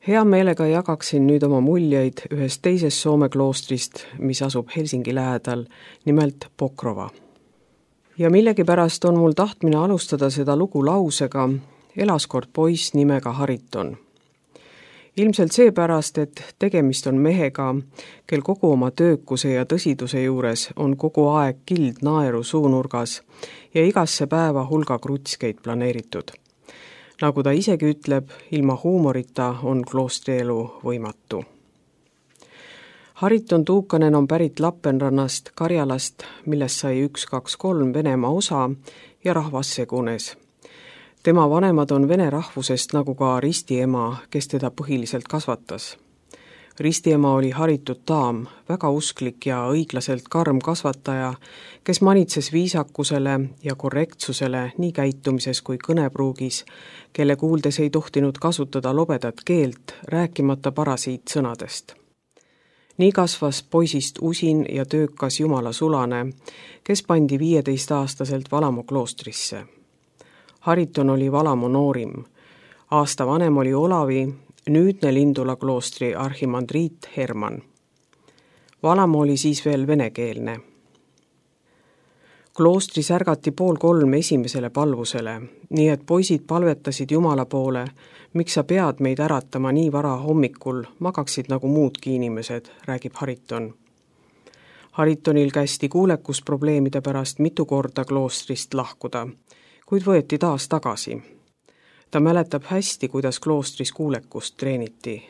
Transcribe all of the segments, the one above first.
Hea meelega jagaksin nüüd oma muljeid ühest teisest Soome kloostrist, mis asub Helsingi lähedal, nimelt Pokrova. Ja millegipärast on mul tahtmine alustada seda lugu lausega elas kord poiss nimega Hariton. Ilmselt seepärast, et tegemist on mehega, kel kogu oma töökuse ja tõsiduse juures on kogu aeg kild naeru suunurgas ja igasse päeva hulga krutskeid planeeritud. Nagu ta isegi ütleb, ilma huumorita on kloostrielu võimatu. Hariton Tuukanen on pärit Lappeenrannast, Karjalast, millest sai 1, 2, 3 Venemaa osa ja rahvas segunes. Tema vanemad on vene rahvusest nagu ka ristiema, kes teda põhiliselt kasvatas. Ristiema oli haritud daam, väga usklik ja õiglaselt karm kasvataja, kes manitses viisakusele ja korrektsusele nii käitumises kui kõnepruugis, kelle kuuldes ei tohtinud kasutada lobedat keelt, rääkimata parasiitsõnadest. Nii kasvas poisist usin ja töökas Jumala sulane, kes pandi 15-aastaselt Valamo kloostrisse. Hariton oli Valamo noorim. Aasta vanem oli Olavi, nüüdne Lindula kloostri arhimandriit Herman. Valamo oli siis veel venekeelne. Kloostris ärgati 2:30 esimesele palvusele, nii et poisid palvetasid Jumala poole, miks sa pead meid äratama nii vara hommikul, magaksid nagu muudki inimesed, räägib Hariton. Haritonil kästi kuulekusprobleemide pärast mitu korda kloostrist lahkuda, kuid võeti taas tagasi. Ta mäletab hästi, kuidas kloostris kuulekust treeniti.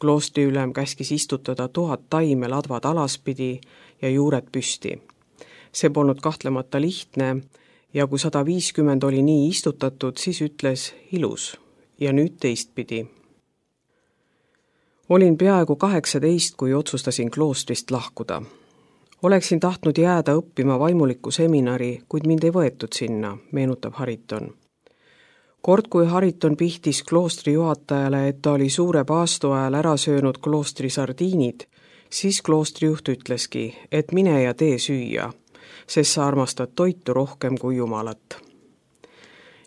Kloostriülem käskis istutada 1000 taime ladvad alaspidi ja juured püsti. See polnud kahtlemata lihtne ja kui 150 oli nii istutatud, siis ütles ilus ja nüüd teistpidi. Olin peaaegu 18, kui otsustasin kloostrist lahkuda. Oleksin tahtnud jääda õppima vaimuliku seminari, kuid mind ei võetud sinna, meenutab Hariton. Kord, kui Hariton pihtis kloostri juhatajale, et ta oli suure paastu ajal ära söönud kloostri sardiinid, siis kloostrijuht ütleski, et mine ja tee süüa, sest sa armastad toitu rohkem kui Jumalat.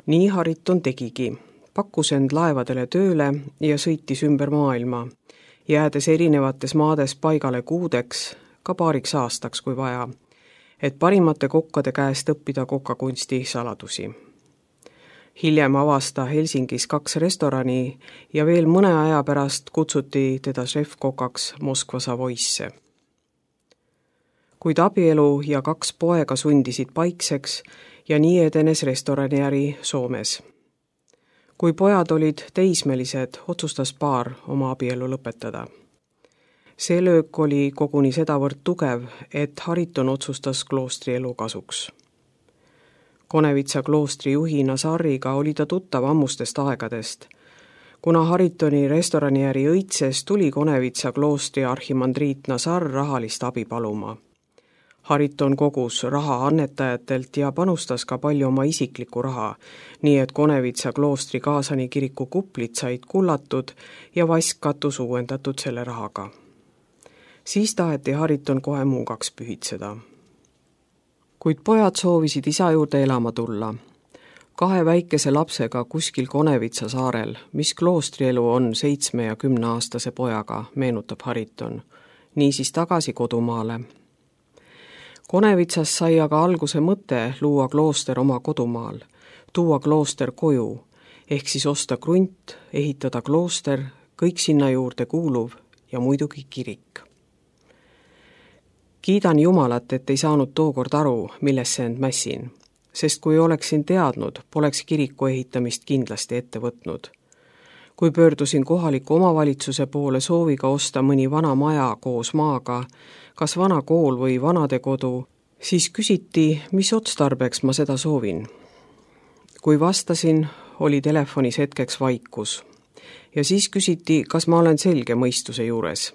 Nii Hariton tegigi, pakkus end laevadele tööle ja sõitis ümber maailma, jäädes erinevates maades paigale kuudeks, ka paariks aastaks kui vaja, et parimate kokkade käest õppida kokkakunsti saladusi. Hiljem avasta Helsingis 2 restorani ja veel mõne aja pärast kutsuti teda šefkokaks Moskva Savoisse. Kuid abielu ja 2 poega sundisid paikseks ja nii edenes restoraniäri Soomes. Kui pojad olid teismelised, otsustas paar oma abielu lõpetada. See löök oli koguni sedavõrd tugev, et Hariton otsustas kloostrielu kasuks. Konevitsa kloostri juhi Nazariga oli ta tuttav ammustest aegadest. Kuna Haritoni restoraniäri õitses, tuli Konevitsa kloostri arhimandriit Nazar rahalist abi paluma. Hariton kogus raha annetajatelt ja panustas ka palju oma isiklikku raha, nii et Konevitsa kloostri Kaasani kiriku kuplid said kullatud ja vask katus uuendatud selle rahaga. Siis taheti Hariton kohe muugaks pühitseda. Kuid pojad soovisid isa juurde elama tulla. 2 väikese lapsega kuskil Konevitsa saarel, mis kloostrielu on 7 ja 10-aastase pojaga, meenutab Hariton. Niisiis tagasi kodumaale. Konevitsas sai aga alguse mõte luua klooster oma kodumaal, tuua klooster koju, ehk siis osta krunt, ehitada klooster, kõik sinna juurde kuuluv ja muidugi kirik. Kiidan Jumalat, et ei saanud tookord aru, millesse end mässin, sest kui oleksin teadnud, poleks kiriku ehitamist kindlasti ette võtnud. Kui pöördusin kohaliku omavalitsuse poole sooviga osta mõni vana maja koos maaga, kas vana kool või vanadekodu, siis küsiti, mis otstarbeks ma seda soovin. Kui vastasin, oli telefonis hetkeks vaikus ja siis küsiti, kas ma olen selge mõistuse juures.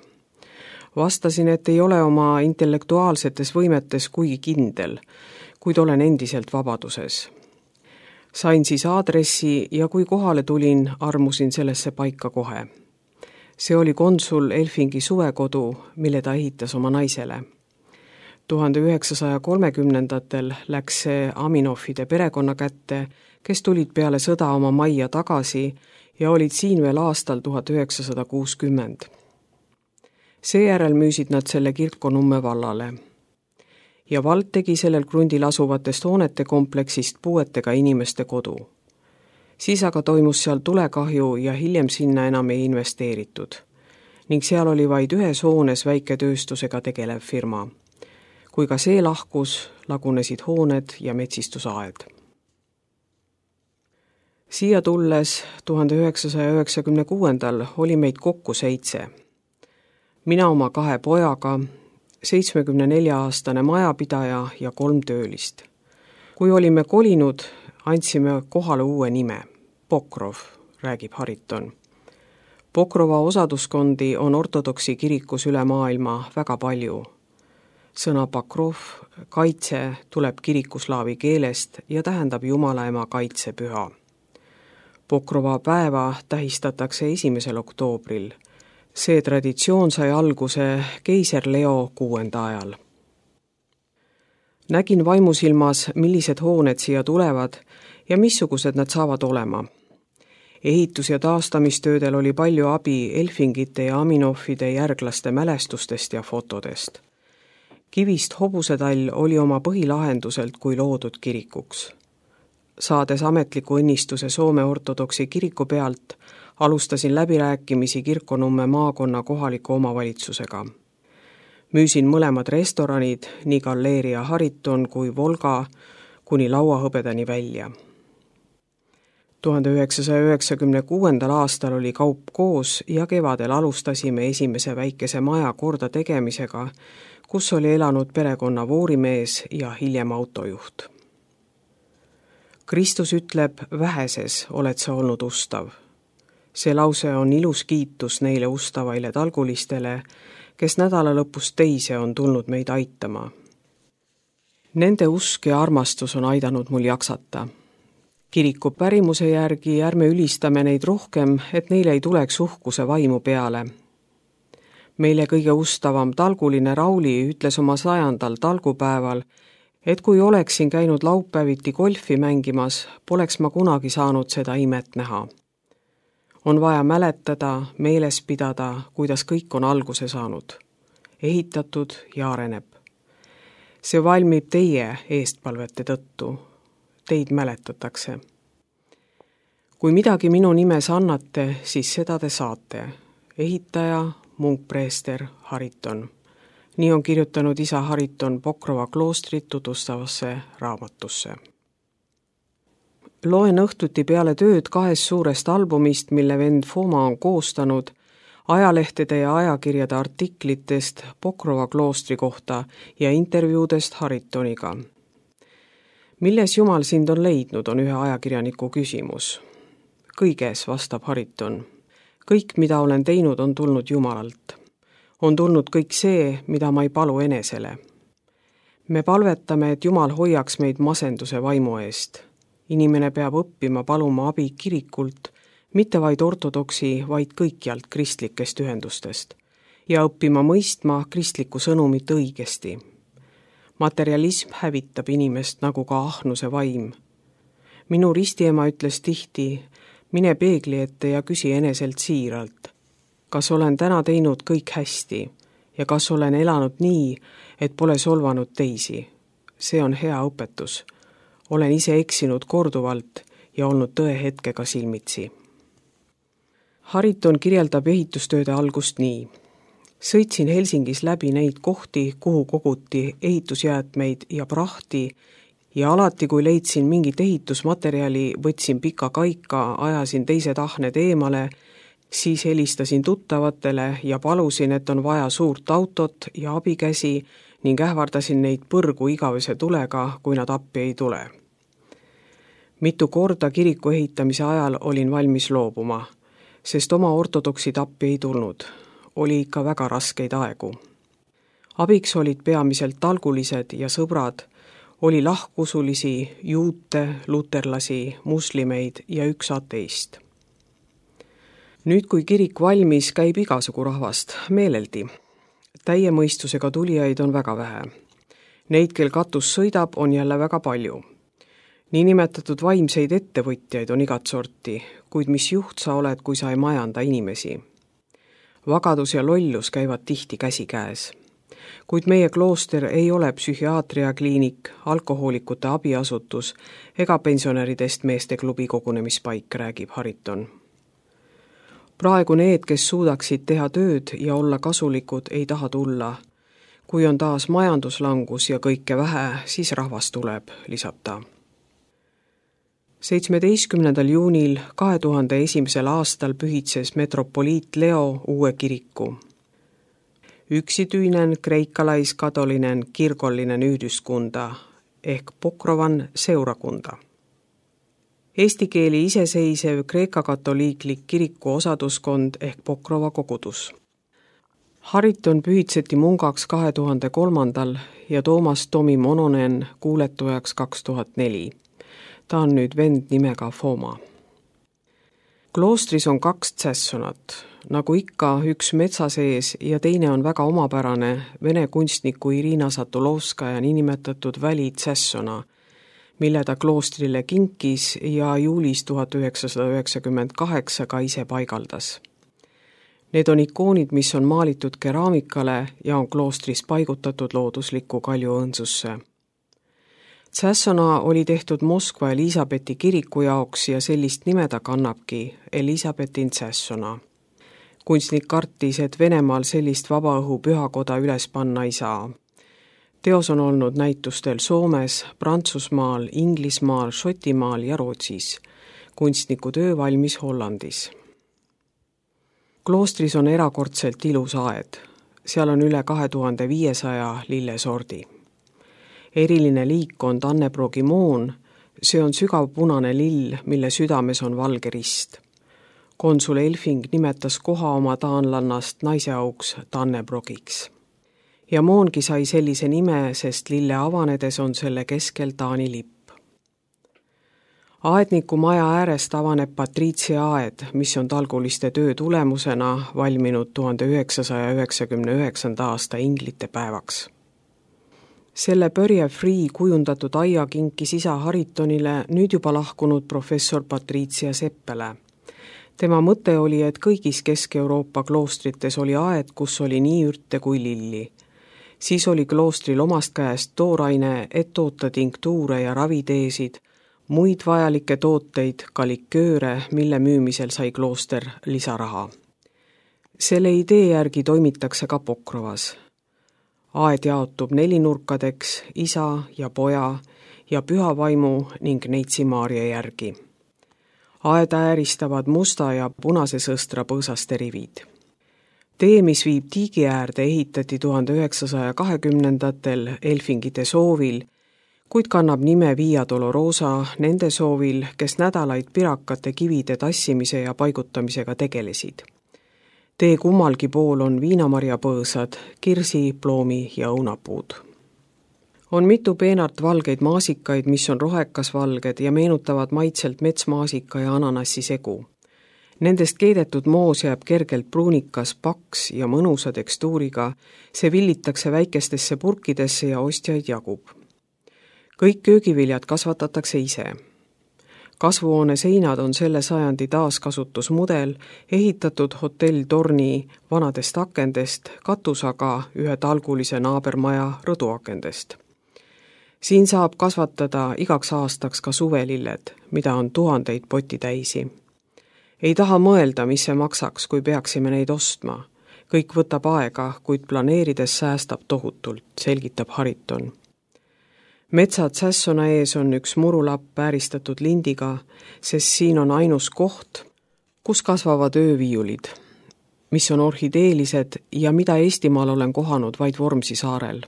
Vastasin, et ei ole oma intellektuaalsetes võimetes kuigi kindel, kuid olen endiselt vabaduses. Sain siis aadressi ja kui kohale tulin, armusin sellesse paika kohe. See oli konsul Elfingi suvekodu, mille ta ehitas oma naisele. 1930-ndatel läks see Aminofide perekonna kätte, kes tulid peale sõda oma majja tagasi ja olid siin veel aastal 1960. Seejärel müüsid nad selle Kirkonumme vallale. Ja vald tegi sellel krundil asuvatest hoonete kompleksist puuetega inimeste kodu. Siis aga toimus seal tulekahju ja hiljem sinna enam ei investeeritud. Ning seal oli vaid ühes hoones väiketööstusega tegelev firma. Kui ka see lahkus, lagunesid hooned ja metsistusaed. Siia tulles 1996. oli meid kokku 7. Mina oma 2 pojaga, 74-aastane majapidaja ja 3 töölist. Kui olime kolinud, andsime kohale uue nime, Pokrov, räägib Hariton. Pokrova osaduskondi on ortodoksi kirikus üle maailma väga palju. Sõna Pokrov, kaitse, tuleb kirikuslaavi keelest ja tähendab Jumala ema kaitsepüha. Pokrova päeva tähistatakse 1. oktoobril. See traditsioon sai alguse keiser Leo 6. ajal. Nägin vaimusilmas, millised hooned siia tulevad ja missugused nad saavad olema. Ehitus- ja taastamistöödel oli palju abi Elfingite ja Aminoffide järglaste mälestustest ja fotodest. Kivist hobusetall oli oma põhilahenduselt kui loodud kirikuks. Saades ametliku õnnistuse Soome ortodoksi kiriku pealt, alustasin läbirääkimisi Kirkonumme maakonna kohaliku omavalitsusega. Müüsin mõlemad restoranid, nii Galleria Hariton kui Volga, kuni lauahõbedani välja. 1996. aastal oli kaup koos ja kevadel alustasime esimese väikese maja korda tegemisega, kus oli elanud perekonna voorimees ja hiljem autojuht. Kristus ütleb, väheses oled sa olnud ustav. See lause on ilus kiitus neile ustavaile talgulistele, kes nädala lõpus teise on tulnud meid aitama. Nende usk ja armastus on aidanud mul jaksata. Kiriku pärimuse järgi ärme ülistame neid rohkem, et neile ei tuleks uhkuse vaimu peale. Meile kõige ustavam talguline Rauli ütles oma 100. talgupäeval, et kui oleksin käinud laupäeviti golfi mängimas, poleks ma kunagi saanud seda imet näha. On vaja mäletada, meeles pidada, kuidas kõik on alguse saanud, ehitatud ja areneb. See valmib teie eestpalvete tõttu. Teid mäletatakse. Kui midagi minu nimes annate, siis seda te saate. Ehitaja, munkpreester Hariton. Nii on kirjutanud isa Hariton Pokrova kloostrit tutvustavasse raamatusse. Loen õhtuti peale tööd 2 suurest albumist, mille vend Foma on koostanud, ajalehtede ja ajakirjade artiklitest Pokrova kloostri kohta ja intervjuudest Haritoniga. Milles Jumal sind on leidnud, on ühe ajakirjaniku küsimus. Kõiges, vastab Hariton. Kõik, mida olen teinud, on tulnud Jumalalt. On tulnud kõik see, mida ma ei palu enesele. Me palvetame, et Jumal hoiaks meid masenduse vaimu eest. Inimene peab õppima paluma abi kirikult, mitte vaid ortodoksi, vaid kõikjalt kristlikest ühendustest. Ja õppima mõistma kristlikku sõnumit õigesti. Materialism hävitab inimest nagu ka ahnuse vaim. Minu ristiema ütles tihti, mine peegli ette ja küsi eneselt siiralt. Kas olen täna teinud kõik hästi ja kas olen elanud nii, et pole solvanud teisi? See on hea õpetus. Olen ise eksinud korduvalt ja olnud tõehetkega silmitsi. Hariton kirjeldab ehitustööde algust nii. Sõitsin Helsingis läbi neid kohti, kuhu koguti ehitusjäätmeid ja prahti ja alati, kui leidsin mingit ehitusmaterjali, võtsin pika kaika, ajasin teised ahned eemale, siis helistasin tuttavatele ja palusin, et on vaja suurt autot ja abikäsi ning ähvardasin neid põrgu igavese tulega, kui nad appi ei tule. Mitu korda kiriku ehitamise ajal olin valmis loobuma, sest oma ortodoksid appi ei tulnud. Oli ikka väga raskeid aegu. Abiks olid peamiselt talgulised ja sõbrad, oli lahkusulisi, juute, luterlasi, muslimeid ja üks ateist. Nüüd, kui kirik valmis, käib igasugu rahvast, meeleldi. Täie mõistusega tulijaid on väga vähe. Neid, kel katus sõidab, on jälle väga palju. Niinimetatud vaimseid ettevõtjaid on igat sorti, kuid mis juht sa oled, kui sa ei majanda inimesi? Vagadus ja lollus käivad tihti käsikäes. Kuid meie klooster ei ole psühhiaatriakliinik, alkohoolikute abiasutus ega pensionäridest meesteklubi kogunemispaik, räägib Hariton. Praegu need, kes suudaksid teha tööd ja olla kasulikud, ei taha tulla. Kui on taas majanduslangus ja kõike vähe, siis rahvas tuleb, lisab ta. 17. juunil 2001. aastal pühitses metropoliit Leo uue kiriku. Yksityinen kreikkalaiskatolinen kirkollinen yhdyskunta ehk Pokrovan seurakunta. Eesti keeli iseseisev kreeka-katoliiklik kiriku osaduskond ehk Pokrova kogudus. Hariton pühitseti mungaks 2003. ja Toomas Tomi Mononen kuuletujaks 2004. Ta on nüüd vend nimega Foma. Kloostris on 2 tsässonat, nagu ikka üks metsa sees ja teine on väga omapärane vene kunstniku Irina Satulovskaja niinimetatud välitsässona, mille ta kloostrile kinkis ja juulis 1998 ka ise paigaldas. Need on ikoonid, mis on maalitud keraamikale ja on kloostris paigutatud looduslikku kaljuõõnsusse. Tsässona oli tehtud Moskva Elisabethi kiriku jaoks ja sellist nime ta kannabki, Elisabetin tsässona. Kunstnik kartis, et Venemaal sellist vabaõhu pühakoda üles panna ei saa. Teos on olnud näitustel Soomes, Prantsusmaal, Inglismaal, Šotimaal ja Rootsis. Kunstniku töö valmis Hollandis. Kloostris on erakordselt ilus aed. Seal on üle 2500 lillesordi. Eriline liik on Tannebroogi moon, see on sügav punane lill, mille südames on valge rist. Konsul Elfing nimetas koha oma taanlannast naiseauks Tannebrogiks. Ja moongi sai sellise nime, sest lille avanedes on selle keskel Taani lipp. Aedniku maja äärest avaneb Patriitsia aed, mis on talguliste töö tulemusena valminud 1999. aasta inglite päevaks. Selle Börje Free kujundatud aia kinkis isa Haritonile nüüd juba lahkunud professor Patriitsia Seppele. Tema mõte oli, et kõigis Kesk-Euroopa kloostrites oli aed, kus oli nii ürte kui lilli. Siis oli kloostril omast käest tooraine, et toota tinktuure ja raviteesid, muid vajalikke tooteid, ka likööre, mille müümisel sai klooster lisaraha. Selle idee järgi toimitakse ka Pokrovas. Aed jaotub 4 nurkadeks, isa ja poja ja püha vaimu ning neitsi Maarja järgi. Aeda ääristavad musta ja punase sõstra põõsaste rivid. Tee, mis viib tiigi äärde, ehitati 1920. Elfingite soovil, kuid kannab nime Via Dolorosa nende soovil, kes nädalaid pirakate kivide tassimise ja paigutamisega tegelesid. Tee kummalgi pool on viinamarjapõõsad, kirsi, ploomi ja õunapuud. On mitu peenart valgeid maasikaid, mis on rohekasvalged ja meenutavad maitselt metsmaasika ja ananassi segu. Nendest keedetud moos jääb kergelt pruunikas, paks ja mõnusa tekstuuriga, see villitakse väikestesse purkidesse ja ostjaid jagub. Kõik köögiviljad kasvatatakse ise. Kasvuhoone seinad on selle sajandi taaskasutusmudel, ehitatud hotell Torni vanadest akendest, katus aga ühe talgulise naabermaja rõduakendest. Siin saab kasvatada igaks aastaks ka suvelilled, mida on 1000 potitäisi. Ei taha mõelda, mis see maksaks, kui peaksime neid ostma. Kõik võtab aega, kuid planeerides säästab tohutult, selgitab Hariton. Metsad Tsässona ees on üks murulapp vääristatud lindiga, sest siin on ainus koht, kus kasvavad ööviiulid, mis on orhideelised ja mida Eestimaal olen kohanud vaid Vormsi saarel.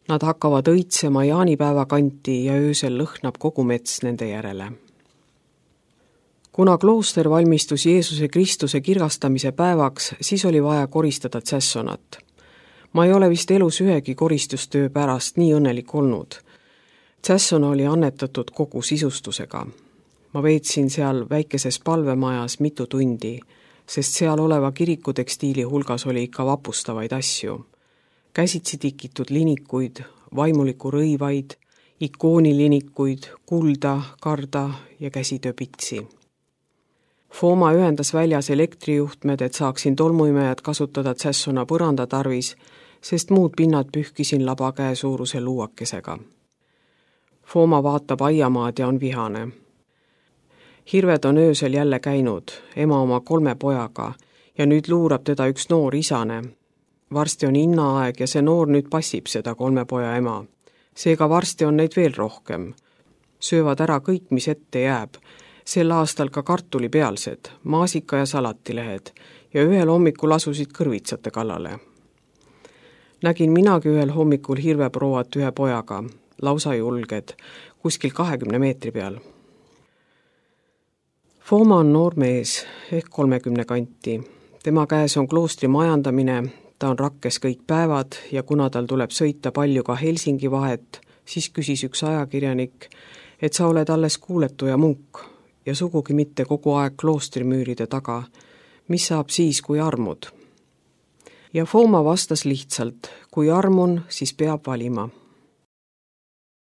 Nad hakkavad õitsema jaanipäeva kanti ja öösel lõhnab kogu mets nende järele. Kuna klooster valmistus Jeesuse Kristuse kirgastamise päevaks, siis oli vaja koristada Tsässonat. Ma ei ole vist elus ühegi koristustöö pärast nii õnnelik olnud. Tsässona oli annetatud kogu sisustusega. Ma veetsin seal väikeses palvemajas mitu tundi, sest seal oleva kirikutekstiili hulgas oli ikka vapustavaid asju. Käsitsi tikitud linikuid, vaimuliku rõivaid, ikoonilinikuid, kulda, karda ja käsitööpitsi. Fooma ühendas väljas elektrijuhtmed, et saaksin tolmuimejad kasutada Tsässona põranda tarvis, sest muud pinnad pühkisin labakäe suuruse luuakesega. Fooma vaatab aiamaad ja on vihane. Hirved on öösel jälle käinud, ema oma 3 pojaga, ja nüüd luurab teda üks noor isane. Varsti on innaaeg ja see noor nüüd passib seda 3 poja ema. Seega varsti on neid veel rohkem. Söövad ära kõik, mis ette jääb. Sel aastal ka kartulipealsed, maasika ja salatilehed ja ühel hommikul asusid kõrvitsate kallale. Nägin minagi ühel hommikul hirveprouat ühe pojaga, lausa julged, kuskil 20 meetri peal. Fooma on noor mees, ehk 30 kanti. Tema käes on kloostri majandamine, ta on rakkes kõik päevad ja kuna tal tuleb sõita palju ka Helsingi vahet, siis küsis üks ajakirjanik, et sa oled alles kuuletuja munk ja sugugi mitte kogu aeg kloostrimüüride taga. Mis saab siis, kui armud? Ja Fooma vastas lihtsalt, kui armun, siis peab valima.